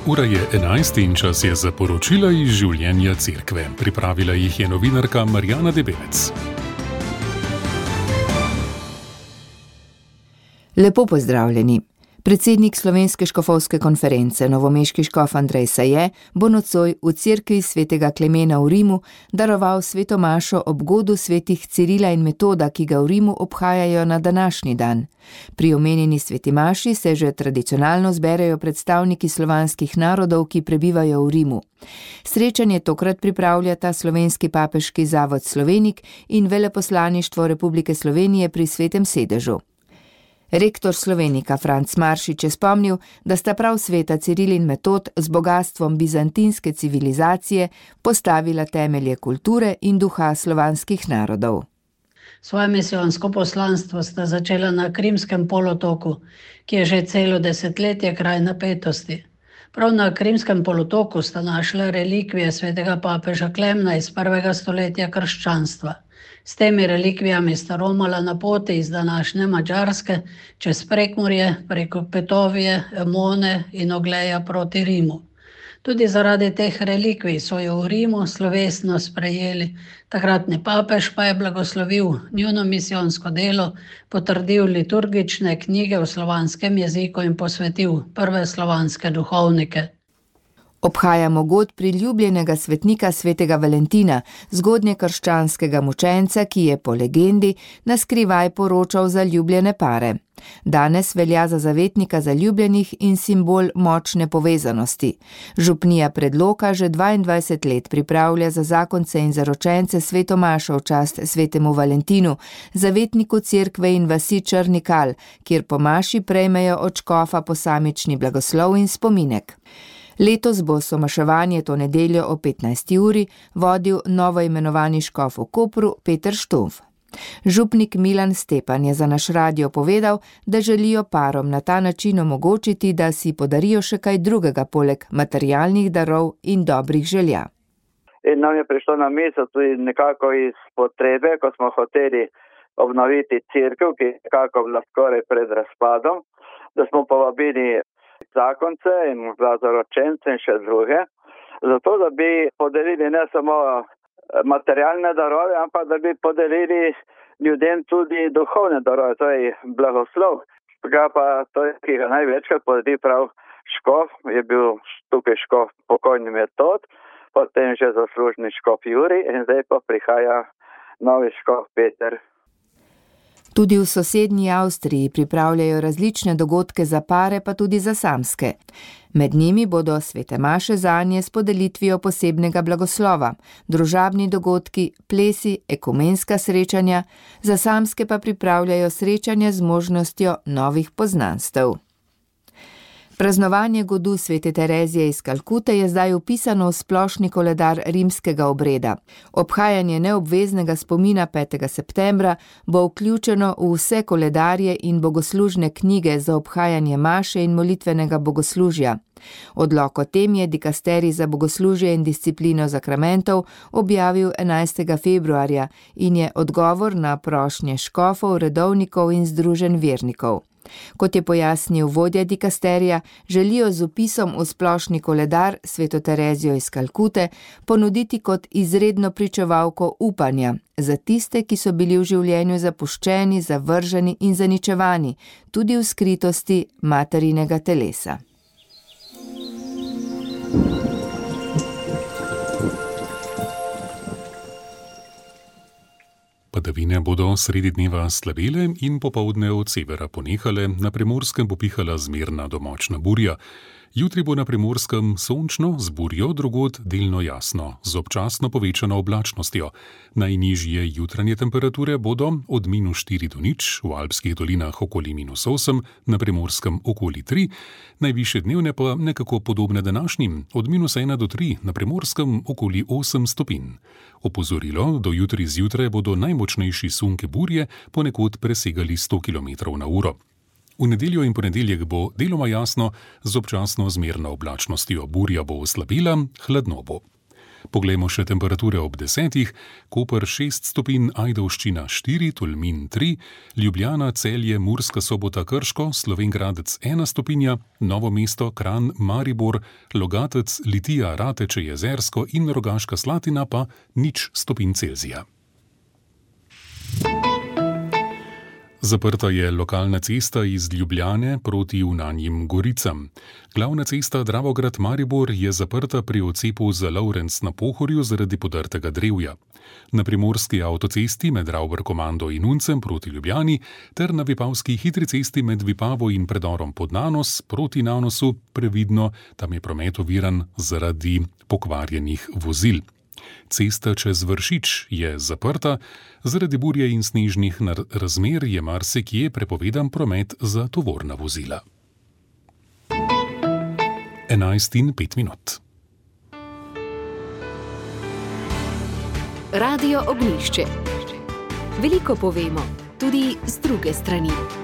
Ura je 11 in čas je za poročila iz življenja cerkve. Pripravila jih je novinarka Marjana Debelec. Lepo pozdravljeni. Predsednik Slovenske škofovske konference, novomeški škof Andrej Saje, bo nocoj v cerkvi svetega Klemena v Rimu daroval sveto mašo ob godu svetih Cirila in Metoda, ki ga v Rimu obhajajo na današnji dan. Pri omenjeni sveti maši se že tradicionalno zberejo predstavniki slovanskih narodov, ki prebivajo v Rimu. Srečanje tokrat pripravljata Slovenski papeški zavod Slovenik in Veleposlaništvo Republike Slovenije pri Svetem sedežu. Rektor Slovenika Franc Maršič je spomnil, da sta prav sveta Ciril in Metod z bogastvom bizantinske civilizacije postavila temelje kulture in duha slovanskih narodov. Svoje misijonsko poslanstvo sta začela na Krimskem polotoku, ki je že celo desetletje kraj napetosti. Prav na Krimskem polotoku sta našla relikvije svetega papeža Klemna iz 1. stoletja krščanstva. S temi relikvijami sta romala na poti iz današnje Madžarske čez Prekmurje, preko Petovije, Emone in Ogleja proti Rimu. Tudi zaradi teh relikvij so jo v Rimu slovesno sprejeli. Takratni papež pa je blagoslovil njuno misijonsko delo, potrdil liturgične knjige v slovanskem jeziku in posvetil prve slovanske duhovnike. Obhajamo god priljubljenega svetnika svetega Valentina, zgodnjekrščanskega mučenca, ki je po legendi naskrivaj poročal za ljubljene pare. Danes velja za zavetnika zaljubljenih in simbol močne povezanosti. Župnija Predloka že 22 let pripravlja za zakonce in zaročence sveto mašo v čast svetemu Valentinu, zavetniku cerkve in vasi Črnikal, kjer po maši prejmejo od škofa posamični blagoslov in spominek. Letos bo somaševanje to nedeljo o 15. uri vodil novoimenovani škof v Kopru Peter Štumf. Župnik Milan Stepan je za naš radio povedal, da želijo parom na ta način omogočiti, da si podarijo še kaj drugega poleg materialnih darov in dobrih želja. In nam je prišlo na misel tudi nekako iz potrebe, ko smo hoteli obnoviti cerkev, ki je nekako bila skoraj pred razpadom, da smo povabili zakonce in zaročence in še druge, zato da bi podelili ne samo materialne darove, ampak da bi podelili ljudem tudi duhovne darove, to je blagoslov. To je, ki ga največkrat podeli prav škof, je bil tukaj škof pokojni Metod, potem že zaslužni škof Jurij in zdaj pa prihaja novi škof Peter. Tudi v sosednji Avstriji pripravljajo različne dogodke za pare, pa tudi za samske. Med njimi bodo svete maše zanje s podelitvijo posebnega blagoslova, družabni dogodki, plesi, ekumenska srečanja, za samske pa pripravljajo srečanja z možnostjo novih poznanstev. Praznovanje godu svete Terezije iz Kalkute je zdaj vpisano v splošni koledar rimskega obreda. Obhajanje neobveznega spomina 5. septembra bo vključeno v vse koledarje in bogoslužne knjige za obhajanje maše in molitvenega bogoslužja. Odlok o tem je dikasterij za bogoslužje in disciplino zakramentov objavil 11. februarja in je odgovor na prošnje škofov, redovnikov in združenj vernikov. Kot je pojasnil vodja dikasterija, želijo z vpisom v splošni koledar sveto Terezijo iz Kalkute ponuditi kot izredno pričevalko upanja za tiste, ki so bili v življenju zapuščeni, zavrženi in zaničevani, tudi v skritosti materinega telesa. Padavine bodo sredi dneva slabele in popoldne od severa ponehale, na Primorskem bo pihala zmerna do močna burja. Jutri bo na Primorskem sončno, z burjo drugod delno jasno, z občasno povečano oblačnostjo. Najnižje jutranje temperature bodo od -4 do 0, v alpskih dolinah okoli -8, na Primorskem okoli 3, najvišje dnevne pa nekako podobne današnjim, od -1 do 3, na Primorskem okoli 8 stopinj. Opozorilo, do jutri zjutraj bodo najmočnejši sunke burje ponekod presegali 100 km/h. V nedeljo in ponedeljek bo deloma jasno, z občasno zmerno oblačnostjo, burja bo oslabila, hladno bo. Poglejmo še temperature ob 10. Koper 6 stopinj, Ajdovščina 4, Tolmin 3, Ljubljana, Celje, Murska Sobota, Krško, Slovenj Gradec 1 stopinja, Novo mesto, Kranj, Maribor, Logatec, Litija, Rateče, Jezersko in Rogaška Slatina pa 0 stopinj Celzija. Zaprta je lokalna cesta iz Ljubljane proti Unanjim Goricam. Glavna cesta Dravograd-Maribor je zaprta pri odcepu za Lovrenc na Pohorju zaradi podrtega drevja. Na primorski avtocesti med Ravber-Komando in Uncem proti Ljubljani ter na vipavski hitri cesti med Vipavo in predorom pod Nanos proti Nanosu previdno, tam je promet oviran zaradi pokvarjenih vozil. Cesta čez Vršič je zaprta, zaradi burje in snežnih razmer je marsikje prepovedan promet za tovorna vozila. 11:05. Radio Ognjišče. Veliko povemo, tudi z druge strani.